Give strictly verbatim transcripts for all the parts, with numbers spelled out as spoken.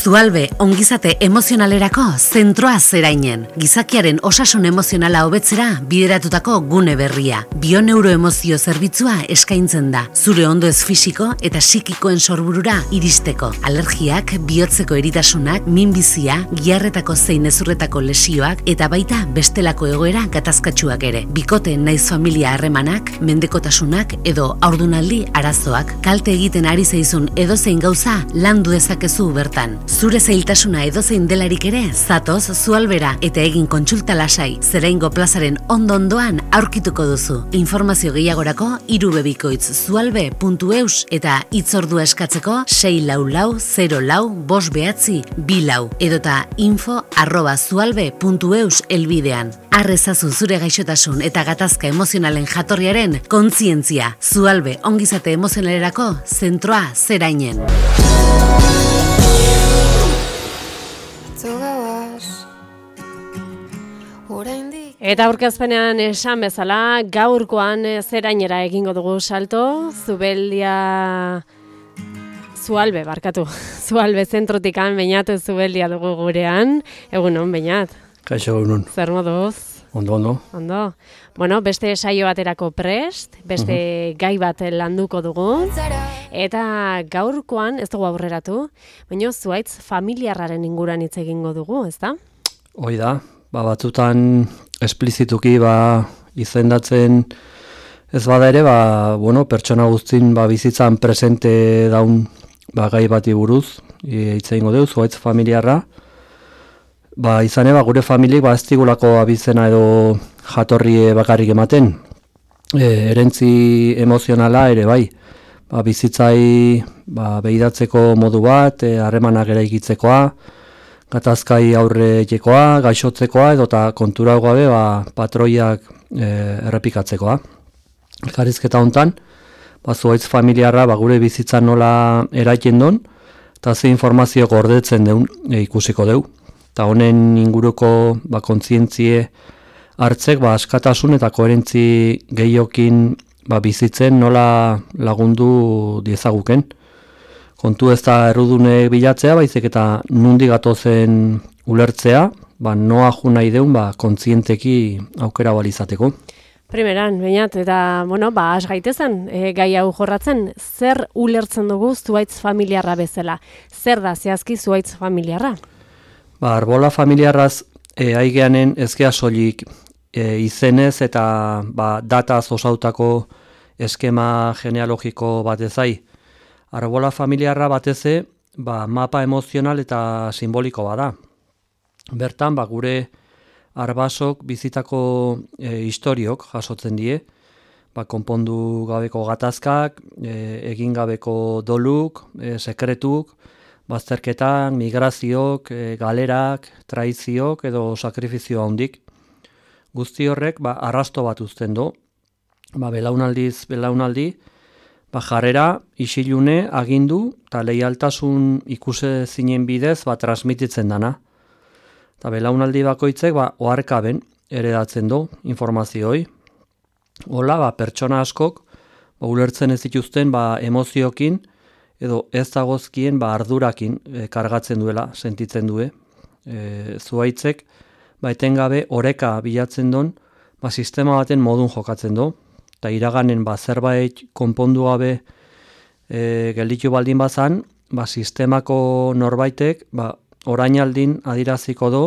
Zualbe ongizate emozionalerako zentroa zerainen. Gizakiaren osasun emozionala hobetzera bideratutako gune berria. Bioneuroemozio zerbitzua eskaintzen da. Zure ondoez fisiko eta psikikoen sorburura iristeko. Alergiak, bihotzeko eritasunak, minbizia, giharretako zein ezurretako lesioak eta baita bestelako egoera gatazkatsuak ere. Bikote naiz familia harremanak, mendekotasunak edo haurdunaldi arazoak. Kalte egiten ari zaizun edozein gauza landu dezakezu bertan. Zure zailtasuna edozein delarik ere, zatoz Zualbera eta egin kontsulta lasai, Zeraingo plazaren ondo-ondoan aurkituko duzu. Informazio gehiagorako irubebikoitz zualbe puntu eus eta hitzordua eskatzeko sei lau lau zero lau bost behatzi bi lau edota info arroba zualbe puntu eus elbidean. Arrezazu zure gaixotasun eta gatazka emozionalen jatorriaren kontzientzia. Zualbe ongizate emozionalerako zentroa zerainen. Eta aurkezpenean esan bezala, gaurkoan zerainera egingo dugu salto, Zubeldia... Zualbe, barkatu. Zualbe zentrotikan, Beñat Zubeldia dugu gurean. Egunon, Beñat. Kaixo, egunon. Zer moduz? Ondo, ondo. Ondo. Bueno, beste saio baterako prest, beste uh-huh. gai bat landuko dugu. Eta gaurkoan, ez dugu aurreratu, baina zuaitz familiarraren inguran hitz egingo dugu, ez da? Hoi da, ba, batzutan esplizituki ba, izendatzen ez bada ere, ba, bueno, pertsona guztin ba, bizitzan presente daun ba, gai bati buruz, hitz egingo dugu, zuaitz familiarra. Ba, izan eba, gure familik ba, ez digulako abizena edo jatorri bakarrik ematen. E, erentzi emozionala ere bai. Ba, bizitzai ba, behidatzeko modu bat, harremanak e, eraikitzekoa, gatazkai aurre jekoa, gaixotzekoa edota kontura gabe ba, patroiak e, errepikatzekoa. Elkarrizketa hontan, ba, zuaitz familiarra ba, gure bizitzan nola eraiten don, eta ze informazio gordetzen deun e, ikusiko deu. Eta honen inguruko ba, kontzientzie hartzek ba, askatasun eta koherentzi gehiokin ba, bizitzen nola lagundu diezaguken. Kontu ez da errudune bilatzea, baizik eta nundi gatozen ulertzea, ba, noa ju nahi deun ba, kontzienteki aukera balizateko. Primeran, Beñat, eta, bueno, ba, has gaitezen, e, gai hau jorratzen, zer ulertzen dugu zuaitz familiarra bezala? Zer da zehazki zuaitz familiarra? Ba, arbola familiarraz e, aigeanen ezkea soilik e, izenez eta ba, dataz osautako eskema genealogiko bat ezai. Arbola familiarra bateze ba, mapa emozional eta simboliko bada. Bertan, ba, gure arbasok bizitako e, historiok jasotzen die, ba, konpondu gabeko gatazkak, e, egin gabeko doluk, e, sekretuk, bazterketan, migraziok, e, galerak, traiziok edo sakrifizio handik. Guzti horrek ba, arrasto bat uzten du, ba, belaunaldiz belaunaldi, ba, jarrera, isilune, agindu eta leialtasun ikuse zinen bidez ba, transmititzen dana. Eta belaunaldi bakoitzek ba, oharkaben eredatzen du informazioi. Hola, ba, pertsona askok ba, ulertzen ez dituzten ba, emoziokin, edo ez dagozkien ba, ardurakin e, kargatzen duela, sentitzen due. E, zuaitzek, ba, etengabe oreka bilatzen don, ba, sistema baten modun jokatzen du, eta iraganen ba, zerbait konpondu gabe e, gelditu baldin bazan, ba, sistemako norbaitek ba, orainaldin adiraziko du,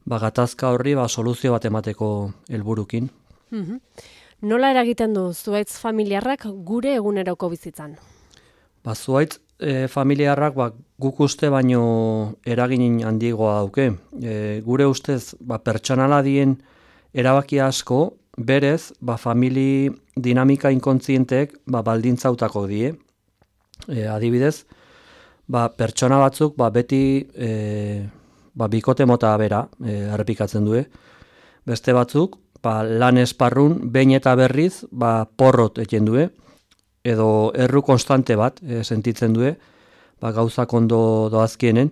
ba, gatazka horri ba, soluzio bat emateko helburukin. Mm-hmm. Nola eragiten du zuaitz familiarrak gure eguneroko bizitzan? Ba, zuaitz e, familiarrak ba, guk uste baino eragin handigoa dauke. E, gure ustez ba, pertsonala dien erabaki asko, berez ba, famili dinamika inkontzientek ba, baldintzautako die. E, adibidez, ba, pertsona batzuk ba, beti e, ba, bikote mota bera e, errepikatzen due. Beste batzuk ba, lan esparrun behin eta berriz ba, porrot eten due. Edo erru konstante bat e, sentitzen due, ba, gauzak ondo doazkienen.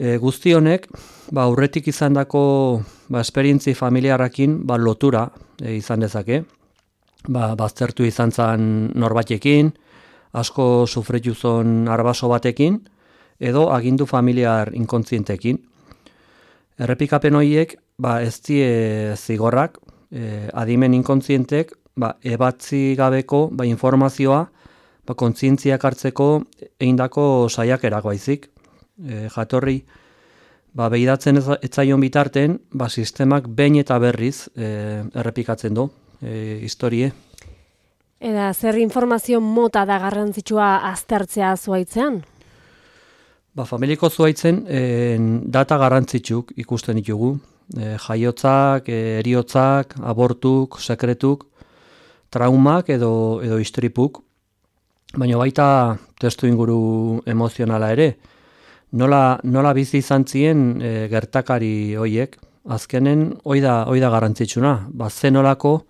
E, guzti honek, ba, aurretik izandako ba, esperientzi familiarrakin ba, lotura e, izan dezake. Ba, baztertu izan zan norbatekin, asko sufritu zon arbaso batekin, edo agindu familiar inkontzientekin. Errepikapen horiek ba, ez die zigorrak, e, adimen inkontzientek ba, ebatzi gabeko ba, informazioa ba, kontzientziak hartzeko eindako saiakerak baizik. E, jatorri ba, behidatzen etzaion bitarten ba, sistemak behin eta berriz e, errepikatzen du e, historie. Eta zer informazio mota da garrantzitsua aztertzea zuaitzean? Ba, familiko zuaitzen e, data garrantzitsuk ikusten ditugu. E, jaiotzak, e, eriotzak, abortuk, sekretuk, traumak edo, edo istripuk. Baina baita testu inguru emozionala ere. Nola, nola bizi izan zien e, gertakari hoiek. Azkenen hoi da, hoi da garrantzitsuna. Ba, zenolako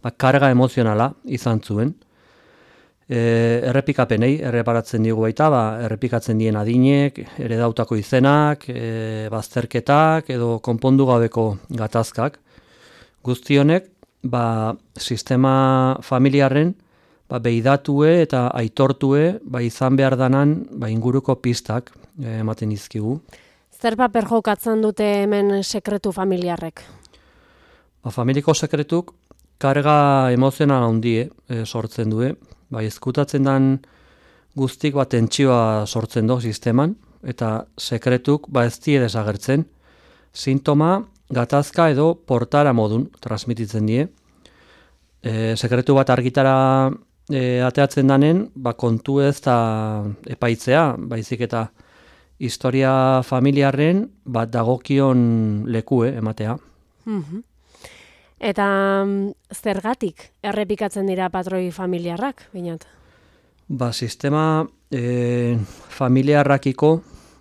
ba, karga emozionala izan zuen. E, errepikapenei, erreparatzen digu baita, ba, errepikatzen dien adinek, ere dautako izenak, e, bazterketak edo konpondu gabeko gatazkak. Guztionek, ba, sistema familiarren ba, behidatue eta aitortue ba, izan behar danan ba, inguruko pistak e, ematen izkigu. Zer paper jokatzen dute hemen sekretu familiarrek? Ba, familiko sekretuk karga emozional handie e, sortzen due. Ba, ezkutatzen dan guztik bat tentsioa sortzen do sisteman, eta sekretuk ba ez die desagertzen. Sintoma, gatazka edo portara modun transmititzen die. E, sekretu bat argitara e, ateatzen danen, ba kontu ez da epaitzea, baizik eta historia familiarren bat dagokion lekue ematea. Mm-hmm. Eta zergatik errepikatzen dira patroi familiarrak, binat? Ba, sistema e, familiarrakiko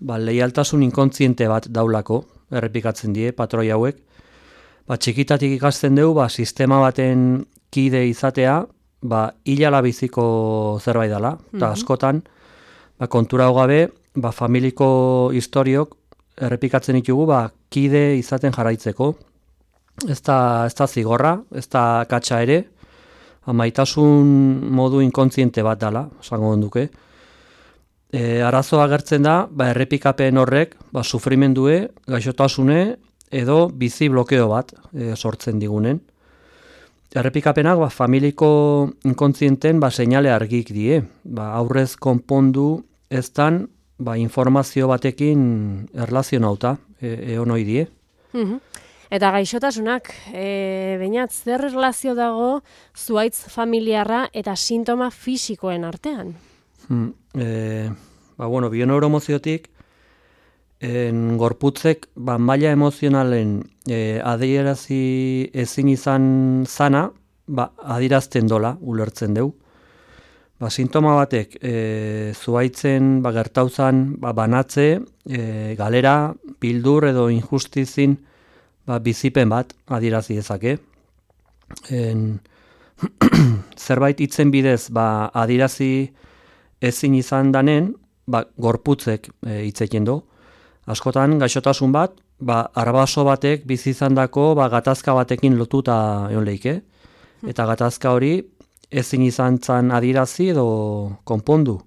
ba, leialtasun inkontziente bat daulako errepikatzen die patroi hauek. Ba, txikitatik ikasten dugu ba, sistema baten kide izatea ba, hilala biziko zerbait dela. Eta mm-hmm. askotan ba, kontura hogabe ba, familiko historiok errepikatzen ditugu ba, kide izaten jarraitzeko. Ez da, ez da zigorra, ez da katxa ere, maitasun modu inkontziente bat dela, esango duke. E, arazoa agertzen da, ba, errepikapen horrek, ba, sufrimendue, gaixotasune edo bizi blokeo bat e, sortzen digunen. Errepikapenak ba, familiko inkontzienten ba, seinale argik die, ba, aurrez konpondu ez dan ba, informazio batekin erlazionauta, e, egon hoi die. Mm-hmm. Eta gaixotasunak, e, bainat, zer erlazio dago zuaitz familiarra eta sintoma fisikoen artean? Hmm, e, ba, bueno, bioneuromoziotik, en gorputzek ba, maila emozionalen e, adierazi ezin izan zana, ba, adierazten dola, ulertzen deu. Ba, sintoma batek e, zuaitzen ba, gertauzan ba, banatze, e, galera, bildur edo injustizin, ba, bizipen bat adierazi dezake. En, zerbait hitzen bidez ba, adierazi ezin izan danen, ba, gorputzek e, hitzekin du. Askotan gaixotasun bat, ba, arbaso batek bizi izandako ba, gatazka batekin lotuta egon leike. Eta gatazka hori ezin izan zan adierazi edo konpondu.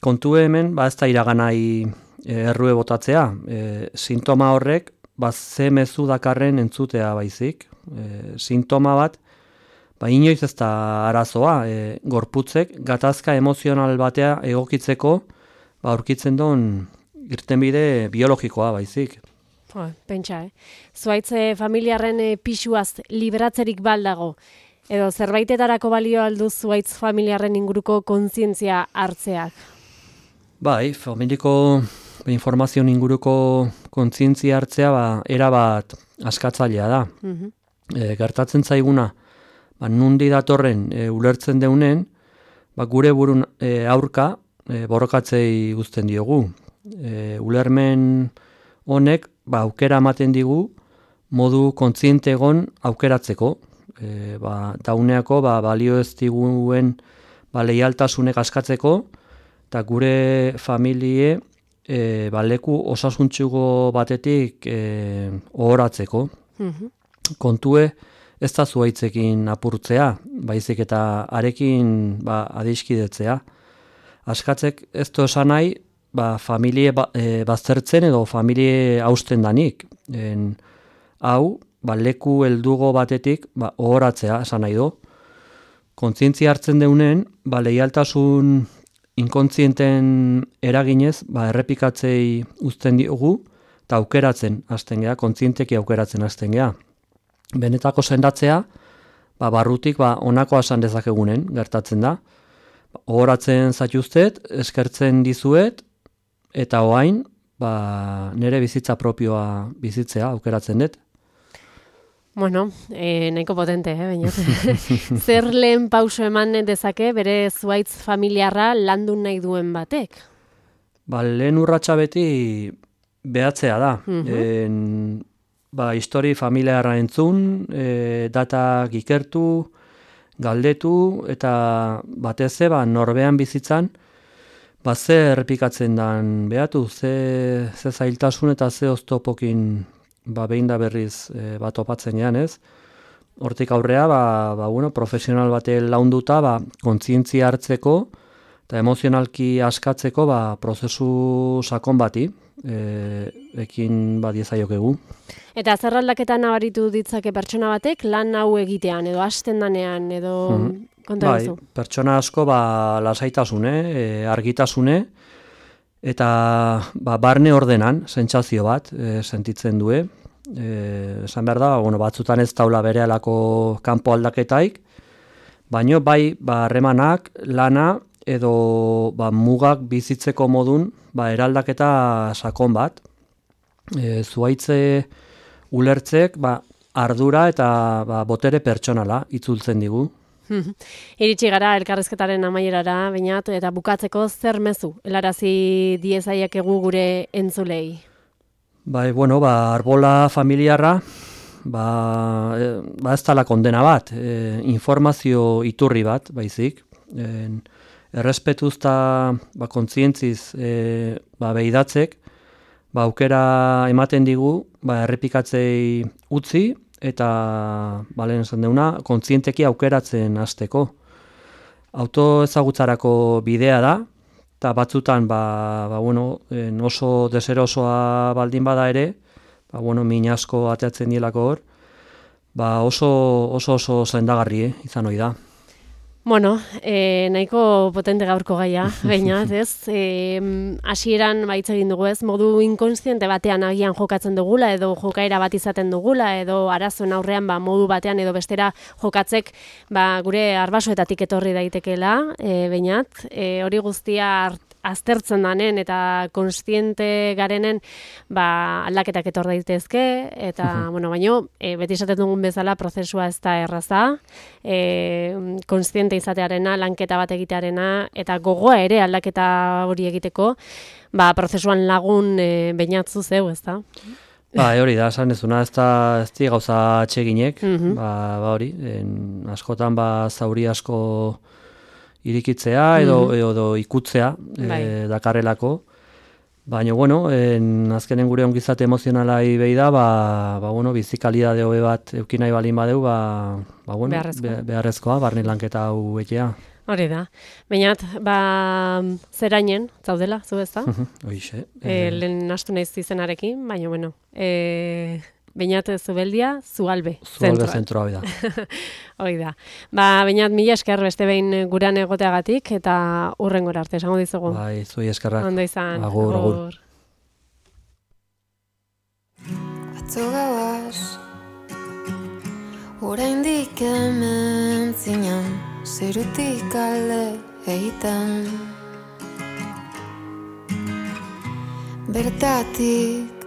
Kontu hemen, ba, ez da iraganai e, errue botatzea. E, sintoma horrek ba, ze mezu dakarren entzutea baizik. E, sintoma bat, ba, inoiz ez da arazoa, e, gorputzek gatazka emozional batea egokitzeko ba, aurkitzen duen irtenbide biologikoa baizik. Jo, pentsa, eh? Zuaitze familiarren e, pisuaz liberatzerik baldago, edo zerbaitetarako balio aldu zuaitz familiarren inguruko kontzientzia hartzeak? Bai, familiko informazio inguruko kontzientzia hartzea ba, erabat askatzailea da. Mm-hmm. E, gertatzen zaiguna, ba, nundi datorren e, ulertzen deunen, ba, gure burun e, aurka e, borrokatzei uzten diogu. E, ulermen honek ba, aukera ematen digu modu kontziente egon aukeratzeko. E, ba, dauneako ba, balio ez diguen ba, leialtasunek askatzeko, eta gure familie E, ba, leku osasuntxugo batetik e, ohoratzeko. Mm-hmm. Kontue ez da zuaitzekin apurtzea, baizik eta arekin ba, adiskidetzea. Askatzek ez du esan nahi ba, familie ba, e, baztertzen edo familie hausten danik. En, hau, ba, leku heldugo batetik ba, ohoratzea, esan nahi du. Kontzientzia hartzen deunen, ba, leialtasun inkontzienten eraginez, ba, errepikatzei uzten diogu, eta aukeratzen hasten gea, kontzienteki aukeratzen hasten gea. Benetako sendatzea, ba, barrutik ba, onakoa esan dezakegunen, gertatzen da. Ohoratzen zaituztet, eskertzen dizuet, eta oain, ba, nire bizitza propioa bizitzea, aukeratzen dut. Bueno, e, nahiko potente, eh, baina. Zer lehen pauso eman dezake bere zuaitz familiarra landu nahi duen batek? Ba, lehen urratsa beti behatzea da. Mhm. En, ba, histori familiarra entzun, e, datak ikertu, galdetu, eta batez ze, ba, norbean bizitzan, ba, ze errepikatzen dan behatu, ze, ze zailtasun eta ze oztopokin ba, behin da berriz e, bat opatzen gean, ez? Hortik aurrea, ba, ba, bueno, profesional bate launduta, ba, kontzientzia hartzeko eta emozionalki askatzeko ba, prozesu sakon bati, e, ekin ba, diezaiokegu. Eta zer aldaketa nabaritu ditzake pertsona batek lan hau egitean, edo hasten danean, edo Mhm. konta Bai, duzu? pertsona asko ba, lasaitasune, e, argitasune, eta ba, barne ordenan, sentsazio bat, e, sentitzen due. E, esan behar da, bueno, batzutan ez taula berehalako kanpo aldaketaik, baino bai ba, harremanak, lana, edo ba, mugak bizitzeko modun ba, eraldaketa sakon bat. E, zuaitze ulertzek ba, ardura eta ba, botere pertsonala itzultzen digu. Iritsi gara elkarrizketaren amaierara, bainat, eta bukatzeko zer mezu helarazi diezaiekegu gure entzulei. Bai, bueno, ba, arbola familiarra, ba, e, ba ez tala kondena bat, e, informazio iturri bat, baizik. E, errespetuz eta ba, kontzientziz e, ba, behidatzek, ba, aukera ematen digu, ba, errepikatzei utzi, eta balen esan deuna, kontzienteki aukeratzen hasteko. Autoezagutzarako bidea da, eta batzutan ba, ba, bueno, oso deserosoa baldin bada ere, ba, bueno, min asko ateatzen dielako hor, ba, oso oso, oso sendagarri eh, izan ohi da. Bueno, e, nahiko potente gaurko gaia, bainat, ez? E, hasieran baitz egin dugu, ez? Modu inkonstiente batean agian jokatzen dugula, edo jokaera bat izaten dugula, edo arazoen aurrean ba, modu batean edo bestera jokatzek ba, gure arbasoetatik etorri daitekela, e, bainat, e, hori guztia hart, aztertzen danen eta konstiente garenen ba, aldaketak etor daitezke, eta, uh-huh. bueno, baino, e, beti esaten dugun bezala prozesua ez da erraza, e, konstiente izatearena, lanketa bat egitearena, eta gogoa ere aldaketa hori egiteko, ba, prozesuan lagun e, bainatzu zeu, ez da? Ba, hori da, esan ezuna, ez da ez di gauza atseginek, uh-huh. ba, ba hori, en, askotan ba, zauri asko irikitzea edo, mm-hmm. edo ikutzea e, dakarrelako. Baina, bueno, en, azkenen gure ongizate emozionalai behi da, ba, ba, bueno, bizikalidade hobe bat euki nahi balin badeu, ba, ba, bueno, beharrezkoa. Be, beharrezkoa, barne lanketa hau etea. Hori da. Bainat, ba, zerainen, zaudela, zu ez da? Hoixe. E, lehen nastu naiz izenarekin, baina, bueno, e, Beñat Zubeldia, Zualbe. Zualbe zentroa, hoi da. Hoi da. Ba, Beñat, mila esker beste behin guran egoteagatik, eta hurrengora arte, esango dizugu. Bai, zuei eskerrak. Ondo izan. Agur, agur. Atzo gauaz, oraindik hemen zinan, zerutik alde egiten. Bertatik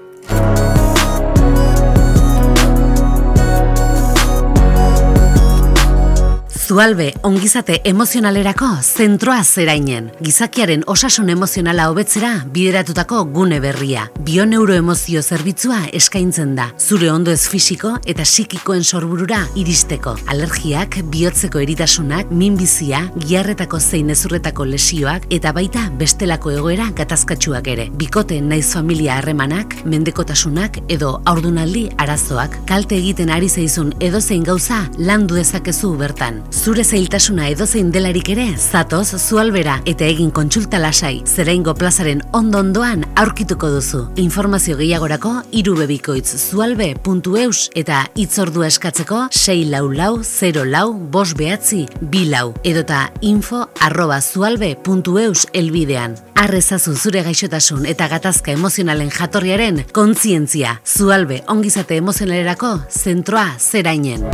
Zualbe, ongizate emozionalerako zentroa zerainen. Gizakiaren osasun emozionala hobetzera bideratutako gune berria. Bioneuroemozio zerbitzua eskaintzen da. Zure ondo ez fisiko eta psikikoen sorburura iristeko. Alergiak, bihotzeko eritasunak, minbizia, giarretako zein ezurretako lesioak eta baita bestelako egoera gatazkatsuak ere. Bikote naiz familia harremanak, mendekotasunak edo haurdunaldi arazoak. Kalte egiten ari zaizun edozein gauza landu dezakezu bertan. Zure zailtasuna edozein delarik ere, zatoz Zualbera eta egin kontsulta lasai. Zeraingo plazaren ondo-ondoan aurkituko duzu. Informazio gehiagorako irubebikoitz zualbe puntu eus eta hitzordua eskatzeko sei lau lau zero lau bost behatzi bi lau edota info arroba zualbe puntu eus elbidean. Arrezazu zure gaixotasun eta gatazka emozionalen jatorriaren kontzientzia. Zualbe ongizate emozionalerako zentroa zerainen.